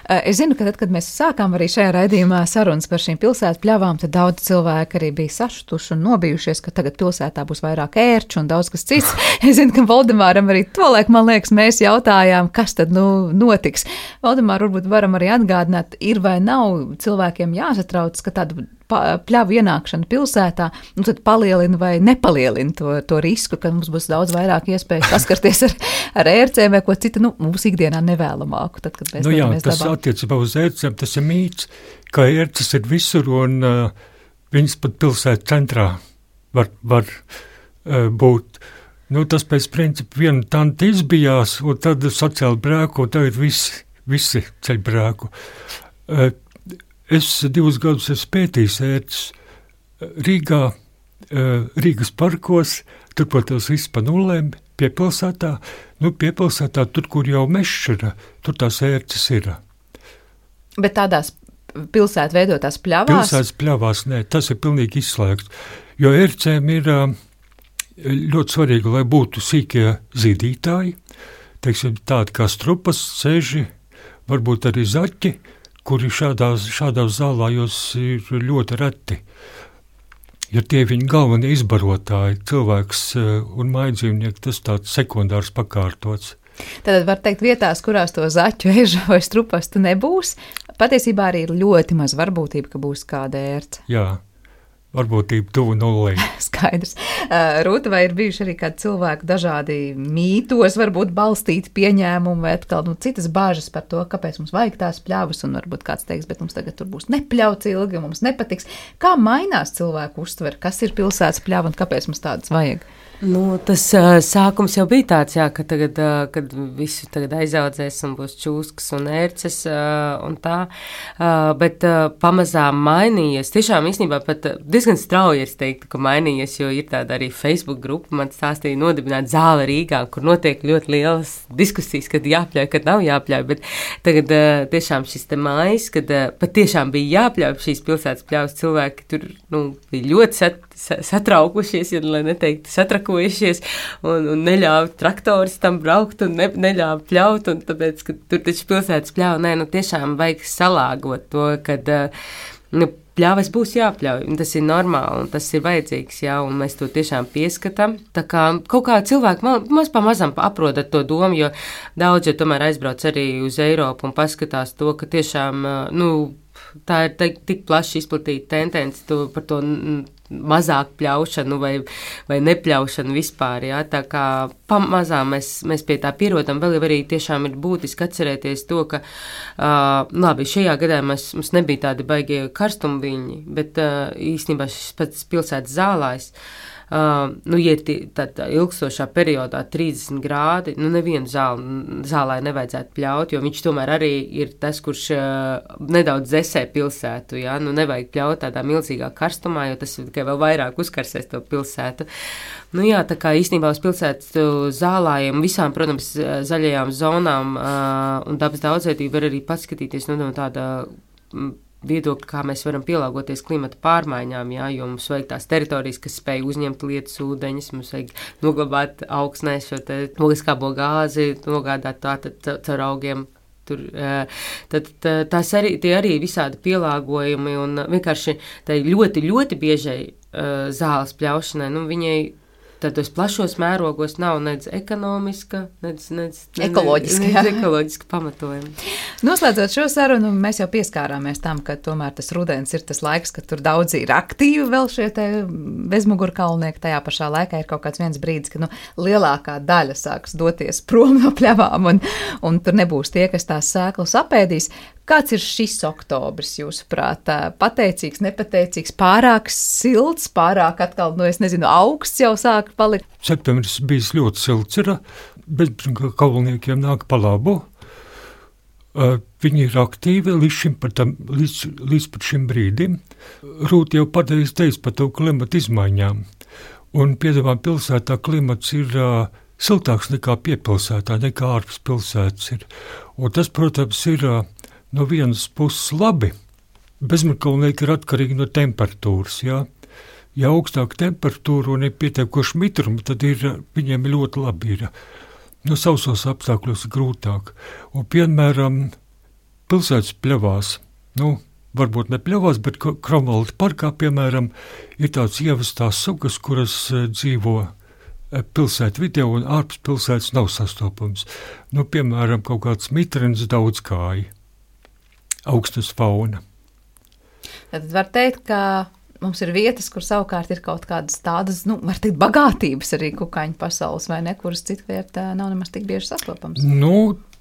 Es zinu, ka tad, kad mēs sākām arī šajā raidījumā sarunas par šīm pilsētu pļavām, tad daudz cilvēki arī bija sašutuši un nobijušies, ka tagad pilsētā būs vairāk ērču un daudz kas cits. Es zinu, ka Valdemāram arī tolaik, man liekas, mēs jautājām, kas tad notiks. Valdemār, varbūt varam arī atgādināt, ir vai nav cilvēkiem jāsatrauc, ka tāda pļavu ienākšana pilsētā, tad palielina vai nepalielina to risku, ka mums būs daudz vairāk iespēju saskarties ar ērcēm vai ko citu, mums ikdienā nevēlamāku, tad, kad mēs dodamies tas dabā. Attiecībā uz ērcēm, tas ir mīts, ka ērces ir visur un viņas pat pilsētu centrā var būt. Tas pēc principa viena tanta izbijās, un tad sacēla brēku, un tagad visi ceļ brēku. Es 2 gadus esmu pētījis ērces Rīgā, Rīgas parkos, turpat tās viss pa nulēm, piepilsētā, piepilsētā tur, kur jau mežs ir, tur tās ērces ir. Bet tādās pilsētu veidotās pļavās? Pilsētas pļavās, nē, tas ir pilnīgi izslēgts, jo ērcēm ir ļoti svarīgi, lai būtu sīkie zīdītāji, teiksim, tādi kā strupas, seži, varbūt arī zaķi, kuri šādās zālājos ir ļoti reti. Ja tie viņi galvenie izbarotāji, cilvēks un mājdzīvnieki, tas tāds sekundārs pakārtots. Tad var teikt, vietās, kurās to zaķu, ežu vai strupastu nebūs, patiesībā arī ir ļoti maz varbūtība, ka būs kāda ērce. Jā, varbūtība tuvu nullei. Skaidrs. Rūta, vai ir bijuši arī kādi cilvēki dažādi mītos, varbūt balstīti pieņēmumi vai atkal citas bāžas par to, kāpēc mums vajag tās pļavas, un varbūt kāds teiks, bet mums tagad tur būs nepļauts ilgi, un mums nepatiks. Kā mainās cilvēku uztver, kas ir pilsētas pļava un kāpēc mums tādas vajag? Tas sākums jau bija tāds, jā, ka tagad, kad visu tagad aizaudzēs un būs čūskas un ērces un tā, bet pamazām mainījies. Tiešām īstenībā pat diezgan strauji es teiktu, ka mainījies, jo ir tāda arī Facebook grupa, man stāstīja nodibināt Zāle Rīgā, kur notiek ļoti lielas diskusijas, kad jāpļauj, kad nav jāpļauj, bet tagad tiešām šis te mājas, kad pat tiešām bija jāpļauj šīs pilsētas pļaus, cilvēki tur, bija ļoti satraukušies, ja lai neteiktu satrakojušies, un neļāva traktoris tam braukt, un neļāva pļaut, un tāpēc, ka tur taču pilsētas pļauj, tiešām vajag salāgot to, kad, pļavas būs jāpļauj, un tas ir normāli, un tas ir vajadzīgs, jā, un mēs to tiešām pieskatām. Tā kā kaut kā cilvēki maz pamazam aprodat to domu, jo daudz, ja tomēr aizbrauc arī uz Eiropu un paskatās to, ka tiešām, tā ir tik plaši izplatīta tendence par to mazāk pļaušanu vai nepļaušanu vispār, jā, tā kā pamazām mēs pie tā pierodam, vēl jau arī tiešām ir būtiski atcerēties to, ka, labi, šajā gadā mums nebija tādi baigie karstumviņi, bet īstenībā šis pats pilsētas zālājs, ja ir tādā ilgstošā periodā 30 grādi, nevienu zālē nevajadzētu pļaut, jo viņš tomēr arī ir tas, kurš nedaudz dzesē pilsētu, jā, nevajag pļaut tādā milzīgā karstumā, jo tas tikai vēl vairāk uzkarsēs to pilsētu. Tā kā īstenībā uz pilsētu zālājiem, visām, protams, zaļajām zonām un dabas daudzveidību var arī paskatīties no tāda viedokļi, kā mēs varam pielāgoties klimata pārmaiņām, jā, jo mums vajag tās teritorijas, kas spēj uzņemt lietus ūdeņus, mums vajag noglabāt augsnē šo te ogliskābo gāzi, nogādāt tātad caur augiem. Tie arī visādi pielāgojumi un vienkārši tai ļoti, ļoti biežai zāles pļaušanai, viņai tādos plašos mērogos nav nedz ekonomiska, nedz ekoloģiska pamatojuma. Noslēdzot šo sarunu, mēs jau pieskārāmies tam, ka tomēr tas rudens ir tas laiks, kad tur daudzi ir aktīvi vēl šie te bezmugurkalnieki. Tajā pašā laikā ir kaut kāds viens brīdis, kad lielākā daļa sāks doties prom no pļavām un tur nebūs tie, kas tās sēklas apēdīs. Kāds ir šis oktobris, jūsuprāt? Pateicīgs, nepateicīgs, pārāk silts, pārāk atkal, augsts jau sāk palikt? Septembris bijis ļoti silts ir, bet kalniekiem nāk pa labu. Viņi ir aktīvi līdz pat šim brīdim. Rūta jau pateicis teica par to klimata izmaiņām. Un Piedavām pilsētā klimats ir siltāks nekā piepilsētā, nekā ārpus pilsētas ir. Un tas, protams, ir no vienas puses labi. Bezmugurkalnieki ir atkarīgi no temperatūras, jā. Ja augstāka temperatūra un ir pietiekoši mitruma, tad viņiem ļoti labi ir. Sausos apstākļos ir grūtāk. Un, piemēram, pilsētas pļavās, varbūt ne pļavās, bet Kromvalda parkā, piemēram, ir tāds ievestās sugas, kuras dzīvo pilsētu vidē un ārpus pilsētas nav sastopams. Piemēram, kaut kāds mitrens daudzkāji, augstas fauna. Tad var teikt, ka mums ir vietas, kur savukārt ir kaut kādas tādas, var teikt, bagātības arī kukaiņu pasaules, vai ne, kuras citviet nav nemaz tik bieži sastopams.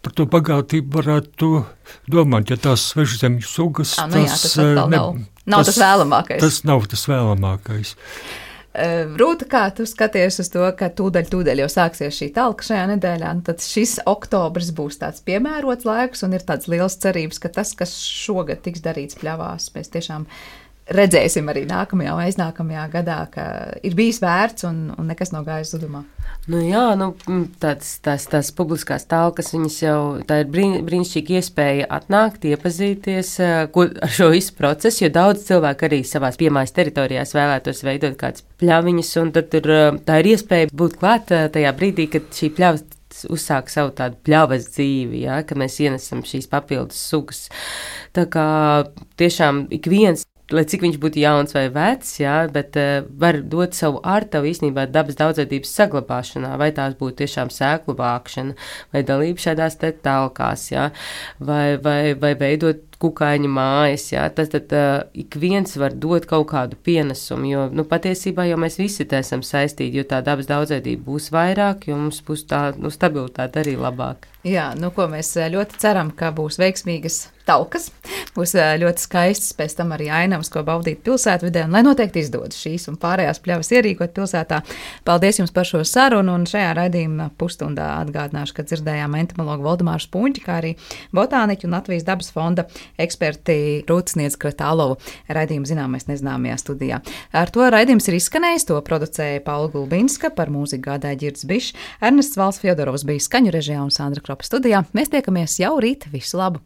Par to bagātību varētu domāt, ja tās svežzemju sugas, tas nav tas vēlamākais. Tas nav tas vēlamākais. Rūta, kā tu skaties uz to, ka tūdaļ jau sāksies šī talka šajā nedēļā, tad šis oktobris būs tāds piemērots laiks un ir tāds liels cerības, ka tas, kas šogad tiks darīts pļavās, mēs tiešām redzēsim arī nākamajā vai aiznākamajā gadā, ka ir bijis vērts un nekas nav gājis zudumā. Nu jā, tās publiskās talkas, viņas jau, tā ir brīnišķīga iespēja atnākt, iepazīties ar šo visu procesu, jo daudz cilvēku arī savās piemājas teritorijās vēlētos veidot kādas pļaviņas, un tad tā ir iespēja būt klāt tajā brīdī, kad šī pļavas uzsāk savu tādu pļavas dzīvi, ja, kad mēs ienesam šīs papildus sugas. Tā kā tiešām ik viens, lai cik viņš būtu jauns vai vecs, jā, bet var dot savu ārtavu īstenībā dabas daudzveidības saglabāšanā, vai tās būtu tiešām sēklu vākšana, vai dalība šādās te talkās, jā, vai veidot kukaiņu mājas, jā, tad ik viens var dot kaut kādu pienesumu, jo, patiesībā jau mēs visi te esam saistīti, jo tā dabas daudzveidība būs vairāk, jo mums būs tā, stabilitāte arī labāk. Jā, ko mēs ļoti ceram, ka būs veiksmīgas talkas, būs ļoti skaistas pēc tam arī ainavas, ko baudīt pilsētvidē, un lai noteikti izdodas šīs un pārējās pļavas ierīkot pilsētā. Paldies jums par šo sarunu, un šajā raidījuma pusstundā atgādināšu, ka dzirdējām entomologu Valdemāru Spunķi, kā arī botāniķu un Latvijas dabas fonda eksperti Rūtsniedz Kratālovu raidījumu Zināmais nezināmajā studijā. Ar to raidījums ir izskanējis, to producēja Paula Gulbinska, par mūziku gādāja Ģirds Bišs, Ernests Valds Fjodorovs bija skaņu režijā un Sandra Kropa studijā. Mēs tiekamies jau rīt, visu labu!